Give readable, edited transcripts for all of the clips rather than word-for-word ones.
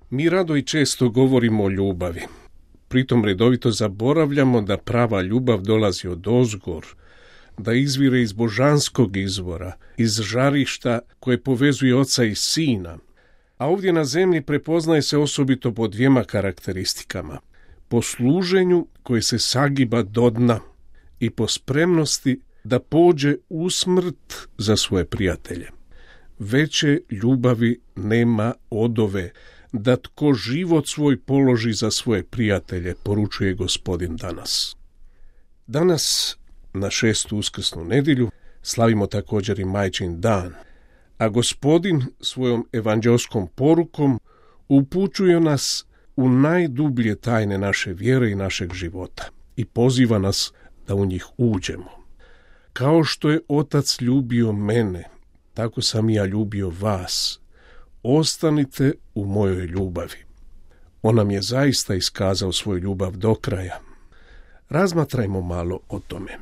Mi rado i često govorimo o ljubavi. Pritom redovito zaboravljamo da prava ljubav dolazi od ozgor, da izvire iz božanskog izvora, iz žarišta koje povezuje oca i sina. A ovdje na zemlji prepoznaje se osobito po dvijema karakteristikama. Po služenju koje se sagiba do dna i po spremnosti da pođe u smrt za svoje prijatelje. Veće ljubavi nema od ove, da tko život svoj položi za svoje prijatelje, poručuje Gospodin danas. Danas, na 6. uskrsnu nedjelju, slavimo također i Majčin dan, a Gospodin svojom evanđelskom porukom upućuje nas u najdublje tajne naše vjere i našeg života i poziva nas da u njih uđemo. Kao što je Otac ljubio mene, tako sam ja ljubio vas. Ostanite u mojoj ljubavi. On nam je zaista iskazao svoju ljubav do kraja. Razmatrajmo malo o tome.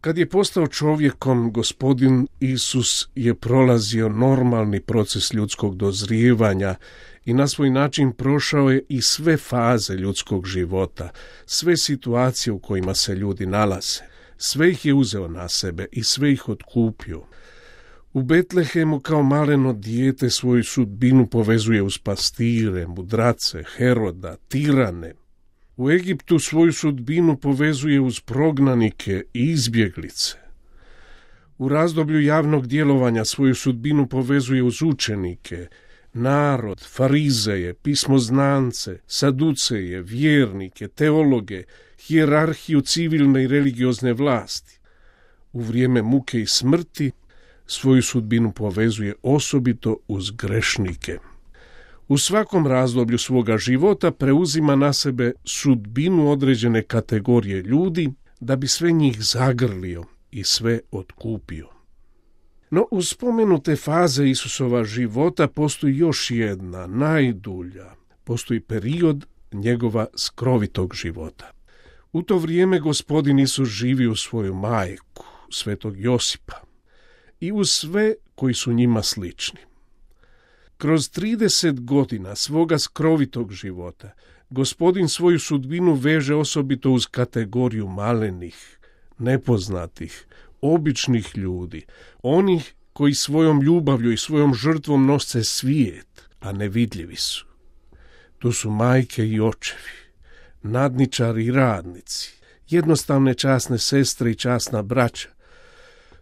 Kad je postao čovjekom, Gospodin Isus je prolazio normalni proces ljudskog dozrijevanja i na svoj način prošao je i sve faze ljudskog života, sve situacije u kojima se ljudi nalaze. Sve ih je uzeo na sebe i sve ih otkupio. U Betlehemu kao maleno dijete svoju sudbinu povezuje uz pastire, mudrace, Heroda, tirane. U Egiptu svoju sudbinu povezuje uz prognanike i izbjeglice. U razdoblju javnog djelovanja svoju sudbinu povezuje uz učenike, narod, farizeje, pismoznance, saduceje, vjernike, teologe, hijerarhiju civilne i religiozne vlasti. U vrijeme muke i smrti svoju sudbinu povezuje osobito uz grešnike. U svakom razdoblju svoga života preuzima na sebe sudbinu određene kategorije ljudi da bi sve njih zagrlio i sve otkupio. No uz spomenute faze Isusova života postoji još jedna, najdulja. Postoji period njegova skrovitog života. U to vrijeme Gospodin Isus živi u svoju majku, svetog Josipa, i uz sve koji su njima slični. Kroz 30 godina svoga skrovitog života Gospodin svoju sudbinu veže osobito uz kategoriju malenih, nepoznatih, običnih ljudi, onih koji svojom ljubavlju i svojom žrtvom nose svijet, a nevidljivi su. To su majke i očevi, nadničari i radnici, jednostavne časne sestre i časna braća.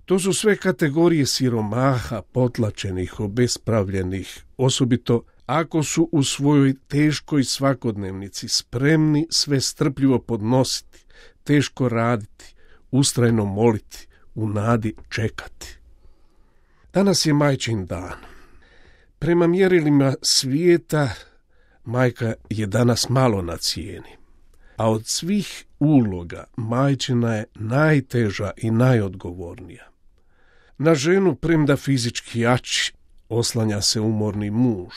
To su sve kategorije siromaha, potlačenih, obespravljenih, osobito ako su u svojoj teškoj svakodnevnici spremni sve strpljivo podnositi, teško raditi, ustrajno moliti, u nadi čekati. Danas je Majčin dan. Prema mjerilima svijeta, majka je danas malo na cijeni, a od svih uloga majčina je najteža i najodgovornija. Na ženu, premda fizički jači, oslanja se umorni muž.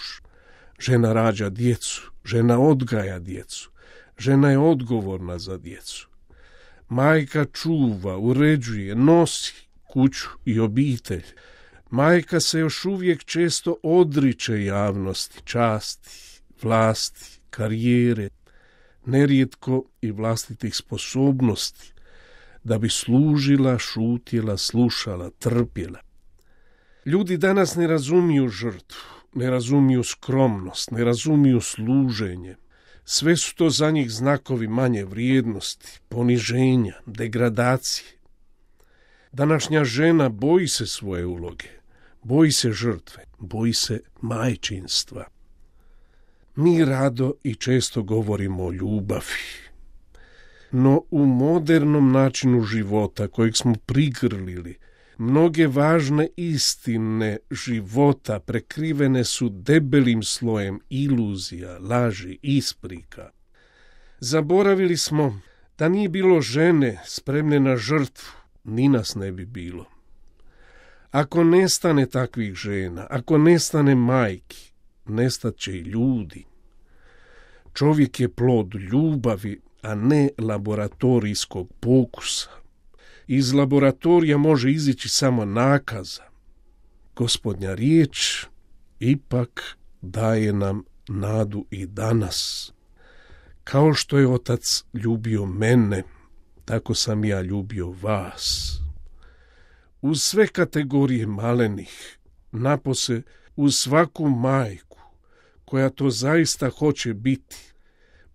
Žena rađa djecu, žena odgaja djecu, žena je odgovorna za djecu. Majka čuva, uređuje, nosi kuću i obitelj. Majka se još uvijek često odriče javnosti, časti, vlasti, karijere, nerijetko i vlastitih sposobnosti, da bi služila, šutjela, slušala, trpjela. Ljudi danas ne razumiju žrtvu, ne razumiju skromnost, ne razumiju služenje. Sve su to za njih znakovi manje vrijednosti, poniženja, degradacije. Današnja žena boji se svoje uloge, boji se žrtve, boji se majčinstva. Mi rado i često govorimo o ljubavi, no u modernom načinu života kojeg smo prigrlili, mnoge važne istine života prekrivene su debelim slojem iluzija, laži, isprika. Zaboravili smo da nije bilo žene spremne na žrtvu, ni nas ne bi bilo. Ako nestane takvih žena, ako nestane majki, nestat će i ljudi. Čovjek je plod ljubavi, a ne laboratorijskog pokusa. Iz laboratorija može izići samo nakaza. Gospodnja riječ ipak daje nam nadu i danas. Kao što je Otac ljubio mene, tako sam ja ljubio vas. Uz sve kategorije malenih, napose uz svaku majku, koja to zaista hoće biti,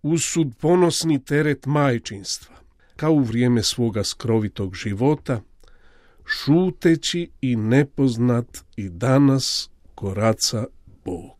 uz sudbonosni teret majčinstva, kao u vrijeme svoga skrovitog života, šuteći i nepoznat i danas koraca Bog.